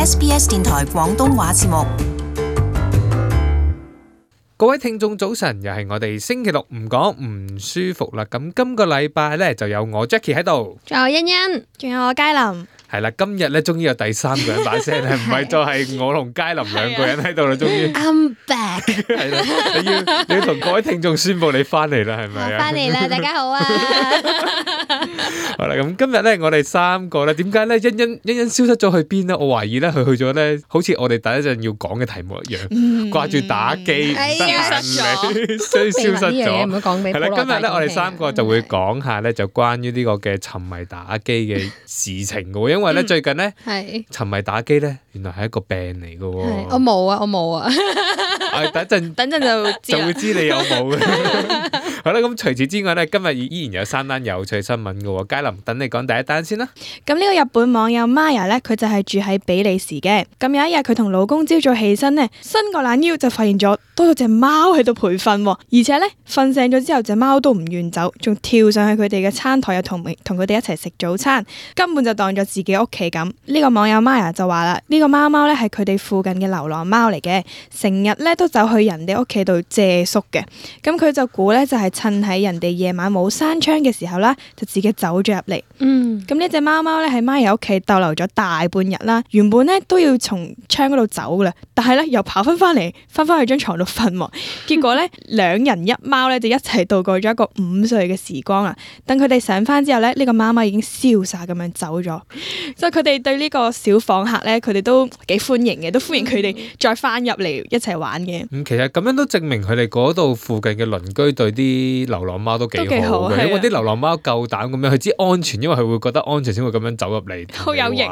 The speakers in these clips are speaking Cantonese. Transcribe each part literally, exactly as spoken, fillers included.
S B S 電台廣東話節目。各位聽眾早晨，又係我哋星期六唔講唔舒服啦。咁今個禮拜咧就有我 Jackie 喺度，仲有欣欣，仲有我佳琳。係啦，今日咧終於有第三個人把聲，係唔係就係我同佳琳兩個人喺度啦？終於 I'm back。係啦，你要你要同各位聽眾宣佈你翻嚟啦，係咪啊？翻嚟啦，大家好啊！好啦，咁今日咧我哋三個咧，點解咧欣欣欣欣消失咗去邊咧？我懷疑咧佢去咗咧，好似我哋第一陣要講嘅題目一樣，掛住打機，消失咗，所以消失咗。唔好講俾係啦，今日咧我哋三個就會講下咧，就關於呢個嘅沉迷打機嘅事情嘅，因為咧最近咧沉迷打機咧，原來係一個病嚟嘅。我冇啊，我冇啊。誒，等陣等陣就就會知你有冇嘅。好啦，咁除此之外咧，今日依然有三單有趣新聞嘅。佳琳，等你講第一單先啦。咁呢個日本網友 Maya 咧，佢就係住喺比利時嘅。咁有一日佢同老公朝早起身呢，伸個懶腰就發現咗多咗隻貓喺度陪瞓，而且咧瞓醒咗之後，隻貓都唔願走，仲跳上去佢哋嘅餐台，又同同佢哋一齊食早餐，根本就當咗自己屋企咁。呢個網友 Maya 就話啦，呢個貓貓咧係佢哋附近嘅流浪貓嚟嘅，成日咧都走去人哋屋企度借宿嘅。咁佢就估咧就係趁喺人哋夜晚冇閂窗嘅時候啦，就自己走咗入嚟。嗯，咁呢隻貓貓咧喺 Maya 屋企逗留咗大半日啦，原本咧都要從窗嗰度走噶啦，但係咧又跑翻翻嚟，翻翻去張床度瞓。結果咧兩人一貓咧就一齊度過咗一個五歲嘅時光啦。等佢哋醒翻之後咧，呢個貓貓已經瀟灑咁樣走咗，所以佢哋對呢個小訪客咧，佢哋都幾歡迎嘅，都歡迎佢哋再翻入嚟一齊玩嘅。咁其實咁樣都證明佢哋嗰度附近嘅鄰居對啲流浪貓都幾好嘅，因為啲流浪貓夠膽咁樣，佢知安全，因為佢會覺得安全先會咁樣走入嚟。好有型。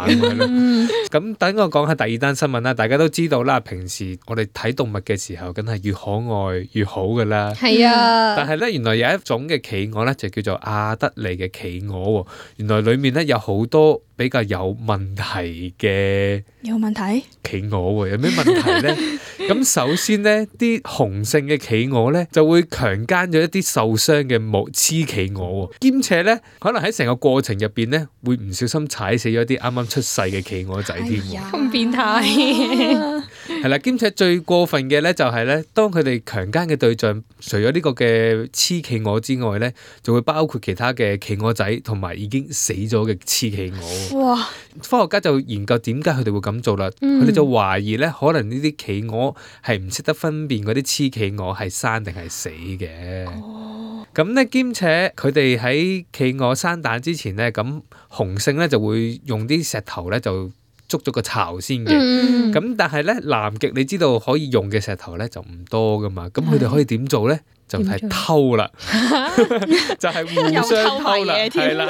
咁等我講下第二單新聞啦。大家都知道啦，平時我哋睇動物嘅時候，梗係越可愛越好噶啦。係啊。但係咧，原來有一種嘅企鵝咧，就叫做亞德利嘅企鵝。原來裏面咧有好多比較有問題嘅有問題企鵝喎。有咩問題咧？咁首先咧，啲雄性嘅企鵝咧就會強姦咗一啲受傷嘅母雌企鵝，兼且咧可能喺成個過程入邊咧會唔小心踩死咗啲啱啱出世嘅企鵝仔添。咁變態。係啦，兼且最過分嘅咧就係咧，當佢哋強姦嘅對象除咗呢個嘅雌企鵝之外咧，就會包括其他嘅企鵝仔同埋已經死咗嘅雌企鵝。哇！科學家就研究點解佢哋會咁做啦，佢哋、嗯、就懷疑咧，可能呢啲企鵝係唔識得分辨嗰啲雌企鵝係生定係死嘅。哦，咁咧兼且佢哋喺企鵝生蛋之前咧，咁雄性咧就會用啲石頭咧就捉咗個巢先嘅。咁、嗯、但係咧南極你知道可以用嘅石頭咧就唔多噶嘛，咁佢哋可以點做咧？就係偷啦，就係互相偷啦，係啦，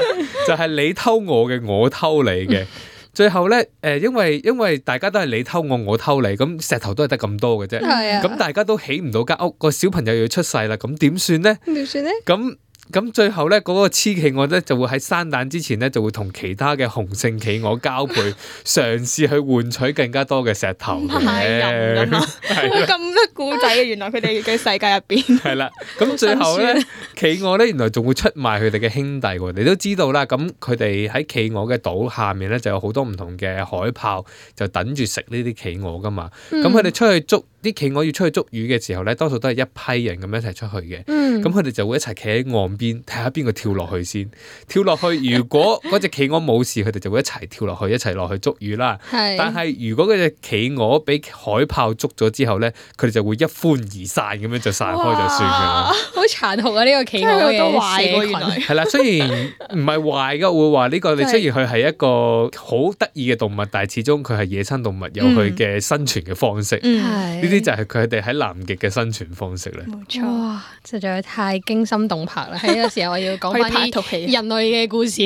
就係你偷我嘅，我偷你嘅。最後咧，誒，因為因為大家都係你偷我，我偷你，咁石頭都係得咁多嘅啫。咁大家都起唔到間屋，個小朋友要出世啦，咁點算咧？點算咧？咁咁最後咧，嗰個雌企鵝咧就會喺生蛋之前咧，就會同其他嘅雄性企鵝交配，嘗試去換取更加多嘅石頭嘅。係人㗎嘛？咁多故仔嘅，原來佢哋嘅世界入邊。係啦，咁最後咧，企鵝咧原來仲會出賣佢哋嘅兄弟喎。你都知道啦，咁佢哋喺企鵝嘅島下面咧就有好多唔同嘅海豹，就等住食呢啲企鵝噶嘛。咁佢哋出去捉啲企鵝要出去捉魚嘅時候咧，多數都係一批人咁樣一齊出去嘅。咁佢哋就會一齊企喺岸邊睇下邊個跳落去先，跳落去。如果嗰隻企鵝冇事，佢哋就會一齊跳落去，一齊落去捉魚啦。但係如果嗰隻企鵝俾海豹捉咗之後咧，佢哋就會一歡而散咁樣就散開就算㗎啦。好殘酷啊！呢、這個企鵝嘅社群係啦，雖然唔係壞㗎，會話呢、這個你雖然佢係一個好得意嘅動物，但係始終佢係野生動物，有佢嘅生存嘅方式。呢啲、嗯、就係佢哋喺南極嘅生存方式咧。冇錯，哇！實在太驚心動魄啦！喺呢個時候我要講翻啲人類嘅故事，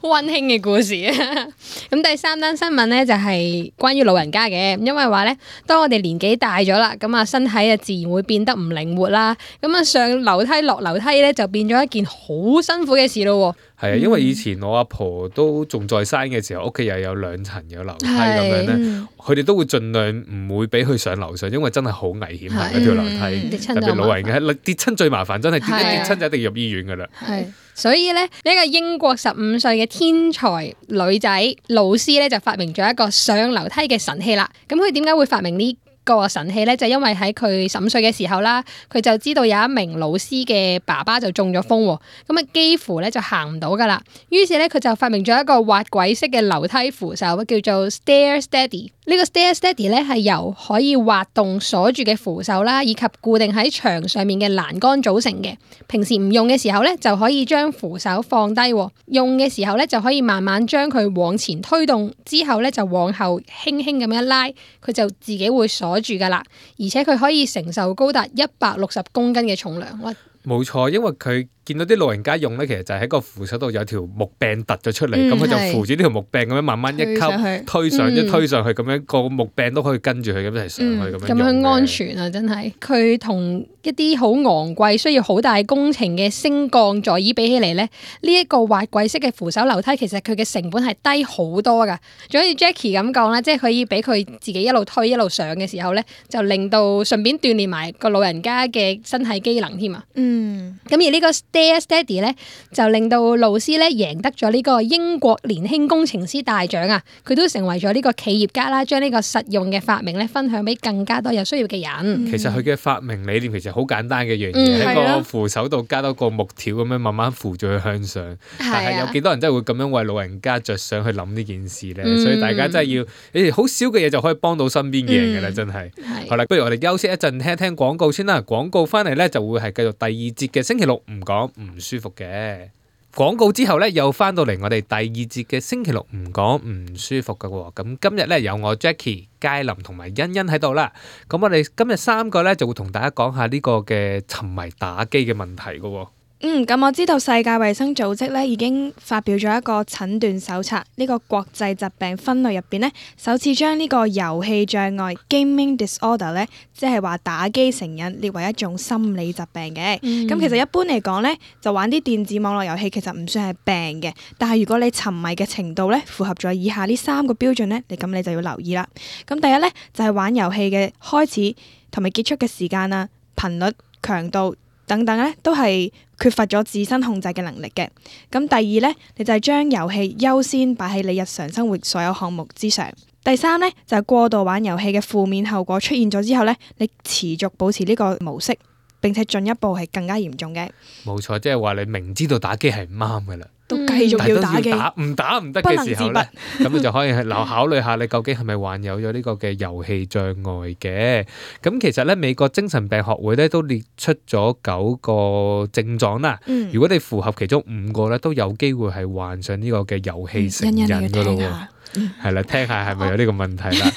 溫馨嘅故事啊！咁第三單新聞咧就係關於老人家嘅，因為話咧，當我哋年紀大咗啦，咁啊身體啊自然會變得唔靈活啦，咁啊上樓梯落樓梯咧就變咗一件好辛苦嘅事咯。係啊，因為以前我阿婆都仲在生嘅時候，屋企又有兩層有樓梯咁樣咧，佢哋都會盡量唔會俾佢上樓上，因為真係好危險行嗰條樓梯，特別老人家跌親最麻煩，真係跌一跌親就一定要入醫院噶啦。係，所以咧呢一個英國十五歲嘅天才女仔勞斯咧就發明咗一個上樓梯嘅神器啦。咁佢點解會發明呢個神器咧？就因為喺佢十五歲嘅時候啦，佢就知道有一名老師嘅爸爸就中咗風，咁啊幾乎咧就行唔到噶啦。於是咧佢就發明咗一個滑軌式嘅樓梯扶手，叫做 Stair Steady。呢個 Stair Steady 咧係由可以滑動鎖住嘅扶手啦，以及固定喺牆上面嘅欄杆組成嘅。平時唔用嘅時候咧，就可以將扶手放低；用嘅時候咧，就可以慢慢將佢往前推動，之後咧就往後輕輕咁樣拉，佢就自己會鎖住噶啦。而且佢可以承受高達一百六十公斤嘅重量。哇！冇錯，因為佢見到啲老人家用咧，其實就喺個扶手度有條木柄突咗出嚟，咁佢、嗯、就扶住呢條木柄咁樣慢慢一級推上一推上去，咁樣個木柄都可以跟住佢咁一齊上去咁、嗯、樣。咁樣安全啊，真係。佢同一啲好昂貴、需要好大工程嘅升降座椅比起嚟咧，呢、這、一個滑軌式嘅扶手樓梯，其實佢嘅成本係低好多噶。就好似 Jackie 咁講啦，即係可以俾佢自己一路推一路上嘅時候咧，就令到順便鍛鍊埋個老人家嘅身體機能添啊。嗯，咁而呢個 Stair Steady 咧，就令到勞斯咧贏得咗呢個英國年輕工程師大獎啊！佢都成為咗呢個企業家啦，將呢個實用嘅發明咧分享俾更加多有需要嘅人。其實佢嘅發明理念其實好簡單嘅一樣嘢，喺、嗯、個扶手度加多個木條咁樣慢慢扶住佢向上。嗯、但係有幾多人真係會咁樣為老人家着想去諗呢件事咧？嗯、所以大家真係要，誒好少嘅嘢就可以幫到身邊嘅人㗎啦，真係。嗯、好啦，不如我哋休息一陣，聽一聽廣告先啦。廣告翻嚟咧就會係繼續第二節嘅星期六唔講唔舒服嘅廣告之後咧，又翻到嚟我哋第二節嘅星期六唔講唔舒服嘅喎。咁今日咧有我 Jackie、佳琳同埋欣欣喺度啦。咁我哋今日三個咧就會同大家講下呢個嘅沉迷打機嘅問題嘅喎。嗯，咁我知道世界衛生組織咧已經發表咗一個診斷手冊，呢、這個國際疾病分類入邊咧，首次將呢個遊戲障礙 （gaming disorder） 咧，即係話打機成癮，列為一種心理疾病嘅。咁、嗯、其實一般嚟講咧，就玩啲電子網絡遊戲其實唔算係病嘅，但係如果你沉迷嘅程度咧符合咗以下呢三個標準咧，你咁你就要留意啦。咁第一咧就係、是、玩遊戲嘅開始同埋結束嘅時間啊、頻率、強度等等咧，都係缺乏咗自身控制嘅能力嘅。咁第二咧，你就係將遊戲優先擺喺你日常生活所有項目之上。第三咧，就係過度玩遊戲嘅負面後果出現咗之後咧，你持續保持呢個模式，並且進一步係更加嚴重嘅。冇錯，即係話你明知道打機係唔啱噶啦，都繼續要打機，唔打唔得嘅時候咧，咁你就可以去留考慮下你究竟係咪患有咗呢個嘅遊戲障礙嘅。咁其實咧，美國精神病學會咧都列出咗九個症狀啦。嗯、如果你符合其中五個咧，都有機會係患上呢個嘅遊戲成癮噶咯。係啦，聽下係咪有呢個問題啦？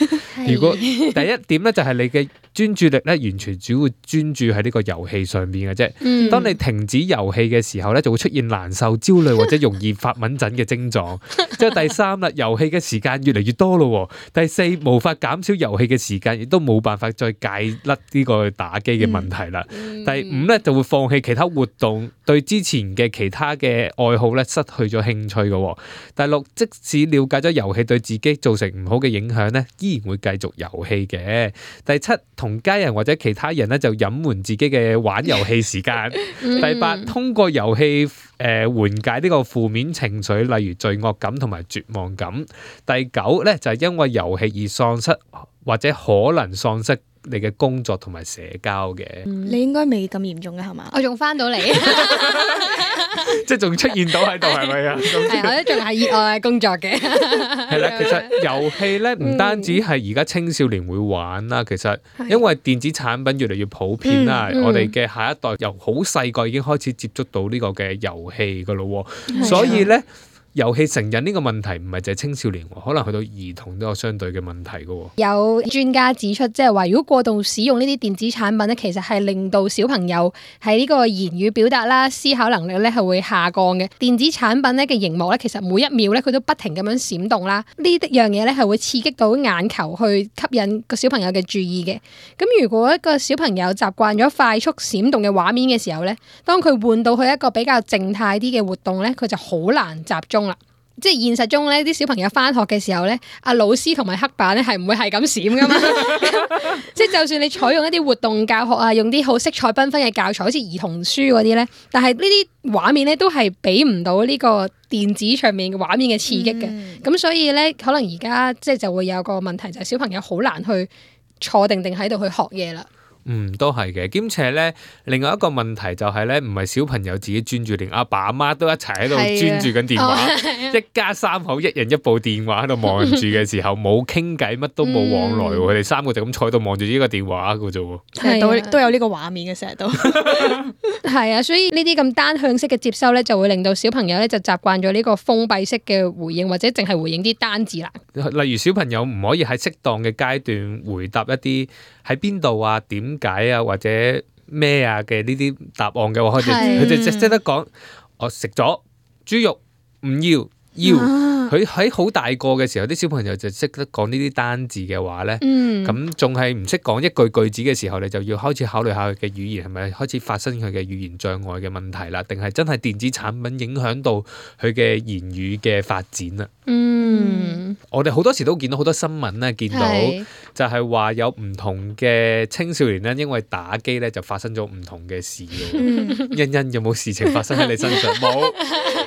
如果第一點咧，就係你嘅專注力咧，完全只會專注喺呢個遊戲上邊嘅啫。嗯、當你停止遊戲嘅時候咧，就會出現難受、焦慮或者容易發敏疹嘅症狀。即係第三啦，遊戲嘅時間越嚟越多咯。第四，無法減少遊戲嘅時間，亦都冇辦法再戒甩呢個打機嘅問題啦。嗯、第五咧，就會放棄其他活動，對之前嘅其他嘅愛好咧失去咗興趣嘅。第六，即使了解咗遊戲對自己造成唔好嘅影響咧，依然會繼續遊戲嘅。第七，同家人或者其他人咧就隱瞞自己嘅玩遊戲時間。第八，通過遊戲誒緩解呢個負面情緒，例如罪惡感同埋絕望感。第九咧就係因為遊戲而喪失或者可能喪失你嘅工作同埋社交嘅。嗯、你應該未咁嚴重嘅係嘛？我仲翻到嚟。即係仲出現到喺度係咪啊？係，我都仲係熱愛工作嘅。係啦，其實遊戲咧唔單止係而家青少年會玩啦，其實因為電子產品越嚟越普遍啦，嗯嗯、我哋嘅下一代由好細個已經開始接觸到呢個嘅遊戲噶咯，所以咧。遊戲成癮呢個問題唔係淨係青少年，可能去到兒童都有相對嘅問題㗎喎。有專家指出，即係話如果過度使用呢啲電子產品咧，其實係令到小朋友喺呢個言語表達啦、思考能力咧係會下降嘅。電子產品咧嘅熒幕咧，其實每一秒咧佢都不停咁樣閃動啦，呢啲樣嘢咧係會刺激到眼球去吸引個小朋友嘅注意嘅。咁如果一個小朋友習慣咗快速閃動嘅畫面嘅時候咧，當佢換到去一個比較靜態啲嘅活動咧，佢就好難集中啦。即係現實中咧，啲小朋友翻學嘅時候咧，阿老師同埋黑板咧係唔會係咁閃噶嘛。即係就算你採用一啲活動教學啊，用啲好色彩繽紛嘅教材，好似兒童書嗰啲咧，但係呢啲畫面咧都係俾唔到呢個電子上面嘅畫面嘅刺激嘅。咁、嗯、所以咧，可能而家即係就會有個問題，就係、是、小朋友好難去坐定定喺度去學嘢啦。嗯，都係嘅。兼且咧，另外一個問題就係咧，唔係小朋友自己專注，連阿爸阿媽都一齊喺度專注緊電話，啊哦、一家三口一人一部電話喺度望住嘅時候，冇傾偈，乜都冇往來，佢哋、嗯、三個就咁坐喺度望住呢個電話嘅啫喎。係都都有呢個畫面嘅，成日都係啊，所以呢啲咁單向式嘅接收咧，就會令到小朋友咧就習慣咗呢個封閉式嘅回應，或者淨係回應啲單字啦。例如小朋友唔可以喺適當嘅階段回答一啲喺邊度啊、點解啊或者咩啊嘅呢啲答案嘅話，佢哋佢哋只識得講我食咗豬肉唔要要。佢喺好大個嘅時候，啲小朋友就識得講呢啲單字嘅話咧，咁仲係唔識講一句句子嘅時候，你就要開始考慮下佢嘅語言係咪開始發生佢嘅語言障礙嘅問題啦，定係真係電子產品影響到佢嘅言語嘅發展啊？嗯，我哋好多時都見到好多新聞咧，見到就係話有唔同嘅青少年咧，因為打機咧就發生咗唔同嘅事嘅。嗯、欣欣有冇事情發生喺你身上？冇。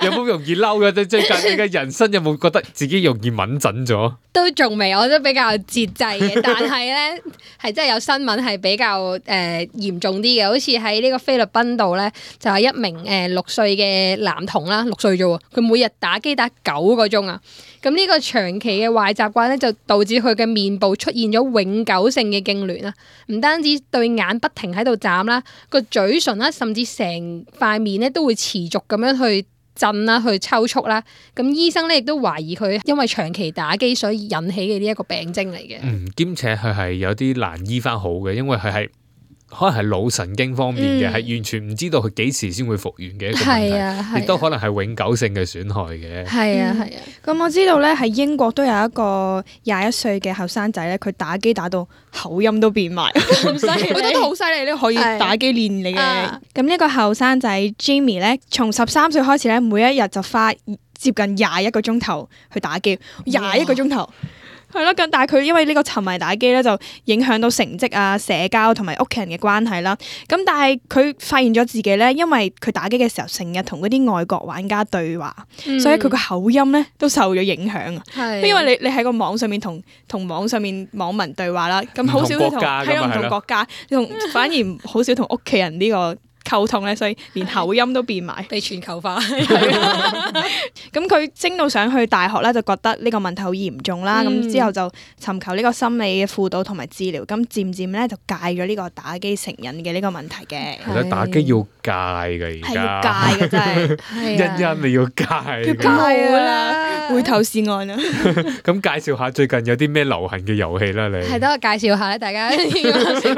有冇容易嬲嘅？最近你嘅人生有冇覺得自己容易敏感咗？都仲未，我都比較節制嘅。但係咧，係真係有新聞係比較誒、呃、嚴重啲嘅，好似喺呢個菲律賓度咧，就係、是、一名誒六歲嘅男童啦，六歲啫喎，佢每日打機打九個鐘啊！咁呢個長期嘅壞習慣咧，就導致佢嘅面部出現咗永久性嘅痙攣啊！唔單止對眼不停喺度眨啦，個嘴唇啦，甚至成塊面咧都會持續咁樣去震啦，去抽搐啦。咁醫生咧亦都懷疑佢因為長期打機所以引起嘅呢一個病徵嚟嘅。嗯，兼且佢係有啲難醫翻好嘅，因為佢係可能係腦神經方面嘅，係、嗯、完全唔知道佢幾時先會復原嘅一個問題，亦、啊、都可能係永久性嘅損害嘅。係啊係啊，咁、嗯、我知道咧喺英國都有一個廿一歲嘅後生仔咧，佢打機打到口音都變埋，咁犀利，我覺得都好犀利咧，可以打機練你嘅。咁呢、啊、個後生仔 Jamie 咧，從十三歲開始咧，每一日就花接近廿一個鐘頭去打機，廿一個鐘頭。係咯，咁但係佢因為呢個沉迷打機咧，就影響到成績啊、社交同埋屋企人嘅關係啦。咁但係佢發現咗自己咧，因為佢打機嘅時候成日同嗰啲外國玩家對話，嗯、所以佢個口音咧都受咗影響啊。係，因為你你喺個網上面同同網上面網民對話啦，咁好少同喺唔同國家，同反而好少同屋企人呢個溝通咧，所以連口音都變埋，被全球化。咁佢升到上去大學咧，就覺得呢個問題好嚴重啦。咁、嗯、之後就尋求呢個心理嘅輔導同埋治療。咁漸漸咧就戒咗呢個打機成癮嘅呢個問題嘅。係啦，打機要戒嘅而家。係要戒嘅真係。欣欣你要戒。要戒啦，回頭是岸啦。咁介紹下最近有啲咩流行嘅遊戲啦，你。係等我介紹下咧，大家。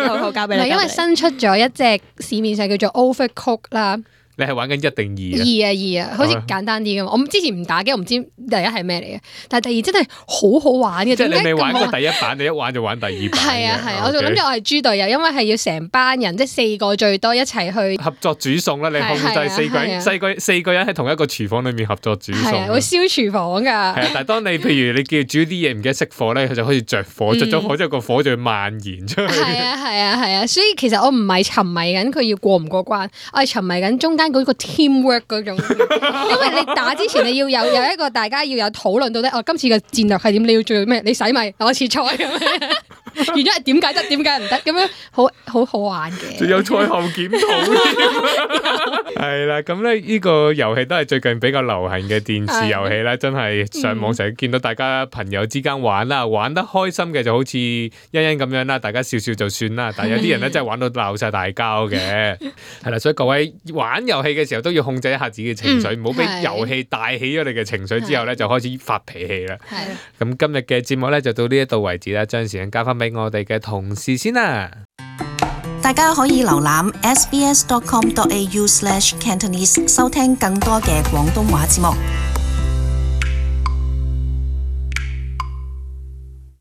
好好交俾你。因為新出咗一隻市面上叫做 Overcooked 啦。你係玩緊一定二啊？二啊二啊，好似簡單啲噶嘛。我之前唔打機，我唔知第一係咩嚟嘅，但係第二真係好好玩嘅。即係你未玩過第一版，你一玩就玩第二版。係啊係啊，我就諗住我係豬隊友，因為係要成班人，即係四個最多一齊去合作煮餸啦。你控制四個人，四個四個人喺同一個廚房裏面合作煮餸。係啊，會燒廚房噶。係啊，但係當你譬如你叫煮啲嘢唔記得熄火咧，佢就開始着火，着咗火之後個火就會蔓延出去。係啊係啊係啊，所以其實我唔係沉迷緊佢要過唔過關，我係沉迷緊中間嗰個 teamwork 嗰種，因為你打之前你要有有一個大家要有討論到底哦，今次嘅戰略係點？你要做咩？你洗米，我切菜咁樣。完咗係點解得？點解唔得？咁樣好好好玩嘅。仲有賽後檢討添，係啦。咁咧呢個遊戲都係最近比較流行嘅電視遊戲啦，真係上網成日見到大家朋友之間玩啦，玩得開心嘅就好似欣欣咁樣啦，大家笑笑就算啦。但係有啲人咧真係玩到鬧晒大交嘅，係啦。所以各位玩遊戲嘅時候都要控制一下自己嘅情緒，唔好俾遊戲帶起咗你嘅情緒之後咧就開始發脾氣啦。咁今日嘅節目咧就到呢一度為止啦，將時間交翻俾我哋嘅同事先啦。大家可以瀏覽 s b s dot com dot a u slash cantonese 收聽更多嘅廣東話節目。